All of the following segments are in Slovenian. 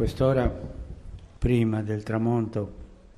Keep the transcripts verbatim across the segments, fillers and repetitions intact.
quest'ora, prima del tramonto,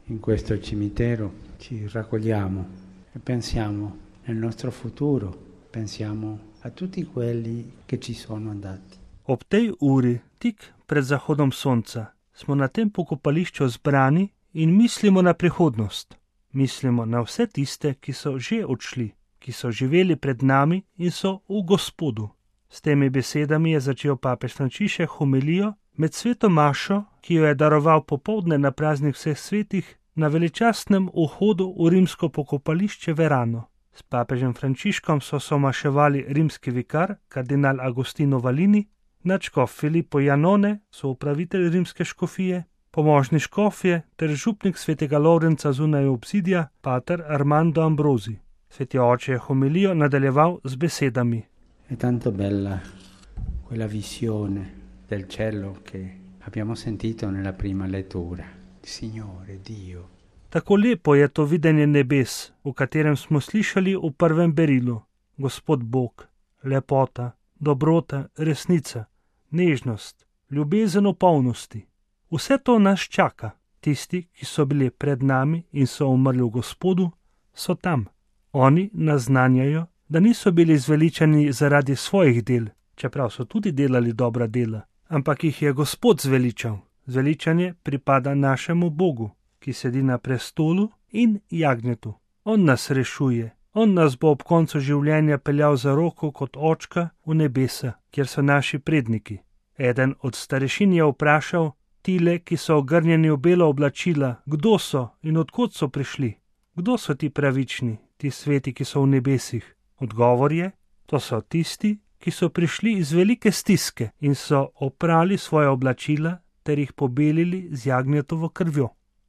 in questo cimitero, ci raccogliamo e pensiamo nel nostro futuro, pensiamo a tutti quelli che ci sono andati. Ob tej uri, tik pred zahodom sonca, smo na tem pokopališču zbrani in mislimo na prihodnost. Mislimo na vse tiste, ki so že odšli, ki so živeli pred nami in so v Gospodu. S temi besedami je začel papež Frančišek homilijo med sveto mašo, ki jo je daroval popoldne na praznik vseh svetih na veličastnem vhodu v rimsko pokopališče Verano. S papežem Frančiškom so somaševali rimski vikar, kardinal Agostino Valini, nadškof Filippo Janone, soupravitelj rimske škofije, pomožni škofje ter župnik svetega Lovrenca zunaj obzidja, pater Armando Ambrosi. Sveti oče je homilijo nadaljeval z besedami. È tanto bella quella visione del cielo che abbiamo sentito nella prima lettura. Signore Dio. Tako lepo je to videnje nebes, v katerem smo slišali v prvem berilu. Gospod Bog, lepota, dobrota, resnica, nežnost, ljubezen v polnosti. Vse to nas čaka. Tisti, ki so bili pred nami in so umrli v Gospodu, so tam. Oni naznanjajo, da niso bili zveličani zaradi svojih del, čeprav so tudi delali dobra dela, ampak jih je Gospod zveličal. Zveličanje pripada našemu Bogu, ki sedi na prestolu in jagnjetu. On nas rešuje, on nas bo ob koncu življenja peljal za roko kot očka v nebesa, kjer so naši predniki. Eden od starešin je vprašal tile, ki so ogrnjeni v belo oblačila, kdo so in odkot so prišli. Kdo so ti pravični, ti sveti, ki so v nebesih? Odgovor je, to so tisti, ki so prišli iz velike stiske in so oprali svoje oblačila ter jih pobelili z jagnjetovo krvjo.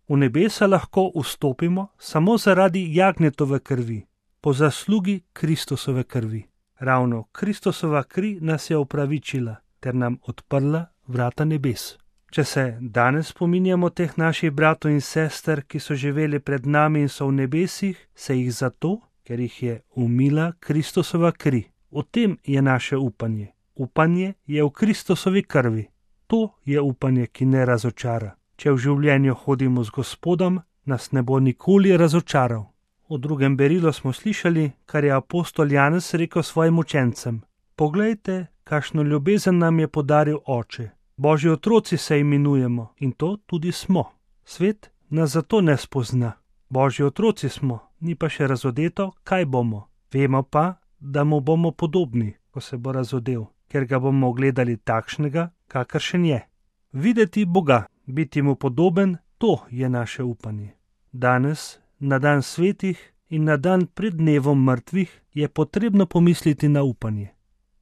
V nebesa lahko vstopimo samo zaradi jagnjetove krvi, po zaslugi Kristusove krvi. Ravno Kristusova kri nas je opravičila ter nam odprla vrata nebes. Če se danes spominjamo teh naših bratov in sester, ki so živeli pred nami in so v nebesih, se jih zato, ker jih je umila Kristusova kri. O tem je naše upanje. Upanje je v Kristusovi krvi. To je upanje, ki ne razočara. Če v življenju hodimo z Gospodom, nas ne bo nikoli razočaral. V drugem berilu smo slišali, kar je apostol Janez rekel svojim učencem. Poglejte, kakšno ljubezen nam je podaril Oče. Božji otroci se imenujemo in to tudi smo. Svet nas zato ne spozna. Božji otroci smo, ni pa še razodeto, kaj bomo. Vemo pa, da mu bomo podobni, ko se bo razodel, ker ga bomo gledali takšnega, kakršen je. Videti Boga, biti mu podoben, to je naše upanje. Danes, na dan svetih in na dan pred dnevom mrtvih, je potrebno pomisliti na upanje.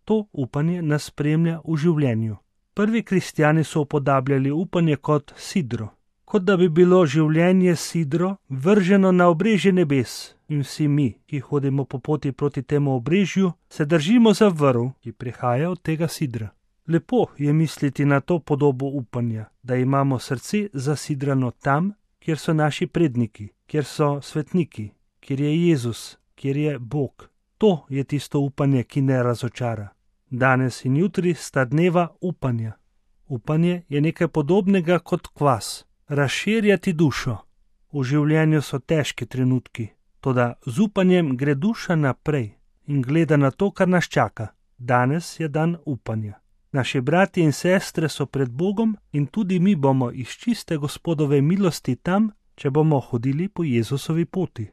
To upanje nas spremlja v življenju. Prvi kristjani so upodabljali upanje kot sidro, kot da bi bilo življenje sidro vrženo na obrežje nebes in vsi mi, ki hodimo po poti proti temu obrežju, se držimo za vrv, ki prihaja od tega sidra. Lepo je misliti na to podobo upanja, da imamo srce zasidrano tam, kjer so naši predniki, kjer so svetniki, kjer je Jezus, kjer je Bog. To je tisto upanje, ki ne razočara. Danes in jutri sta dneva upanja. Upanje je nekaj podobnega kot kvas, razširjati dušo. V življenju so težki trenutki, toda z upanjem gre duša naprej in gleda na to, kar nas čaka. Danes je dan upanja. Naši brati in sestre so pred Bogom in tudi mi bomo iz čiste Gospodove milosti tam, če bomo hodili po Jezusovi poti.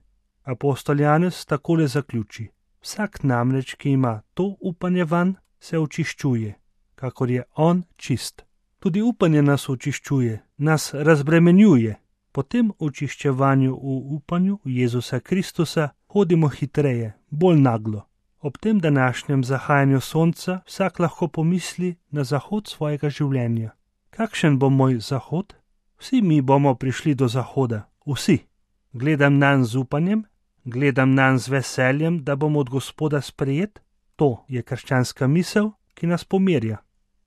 Apostol Janez takole zaključi. Vsak namreč, ki ima to upanje vanj, se očiščuje, kakor je on čist. Tudi upanje nas očiščuje, nas razbremenjuje. Po tem očiščevanju v upanju Jezusa Kristusa hodimo hitreje, bolj naglo. Ob tem današnjem zahajanju sonca vsak lahko pomisli na zahod svojega življenja. Kakšen bo moj zahod? Vsi mi bomo prišli do zahoda, vsi. Gledam nanj z upanjem, gledam nanj z veseljem, da bom od Gospoda sprejet. To je krščanska misel, ki nas pomirja.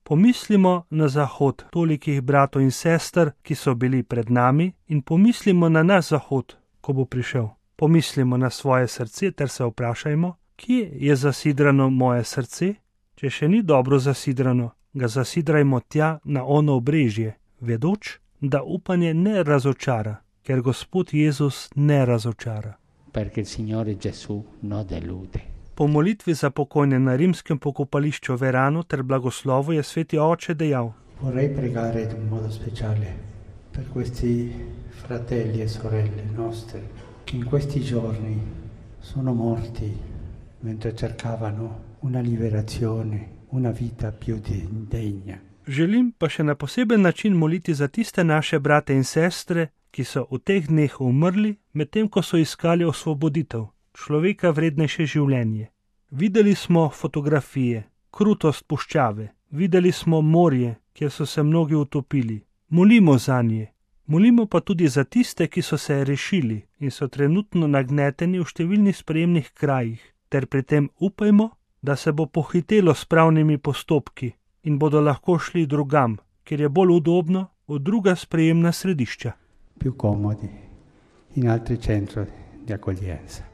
Pomislimo na zahod tolikih bratov in sester, ki so bili pred nami, in pomislimo na naš zahod, ko bo prišel. Pomislimo na svoje srce ter se vprašajmo, kje je zasidrano moje srce? Če še ni dobro zasidrano, ga zasidrajmo tja na ono obrežje, vedoč, da upanje ne razočara, ker Gospod Jezus ne razočara. Perché il Signore Gesù non delude. Po molitvi za pokojne na rimskem pokopališču Verano ter blagoslovu je sveti oče dejal: Vorrei pregare in un modo speciale per questi fratelli e sorelle nostri che in questi giorni sono morti mentre cercavano una liberazione, una vita più degna. Želim pa še na poseben način moliti za tiste naše brate in sestre, ki so v teh dneh umrli, medtem ko so iskali osvoboditev, človeka vrednejše življenje. Videli smo fotografije, krutost puščave, videli smo morje, kjer so se mnogi utopili. Molimo zanje. Molimo pa tudi za tiste, ki so se rešili in so trenutno nagneteni v številnih sprejemnih krajih, ter pri tem upajmo, da se bo pohitelo s pravnimi postopki in bodo lahko šli drugam, kjer je bolj udobno, v druga sprejemna središča. Più comodi, in altri centri di accoglienza.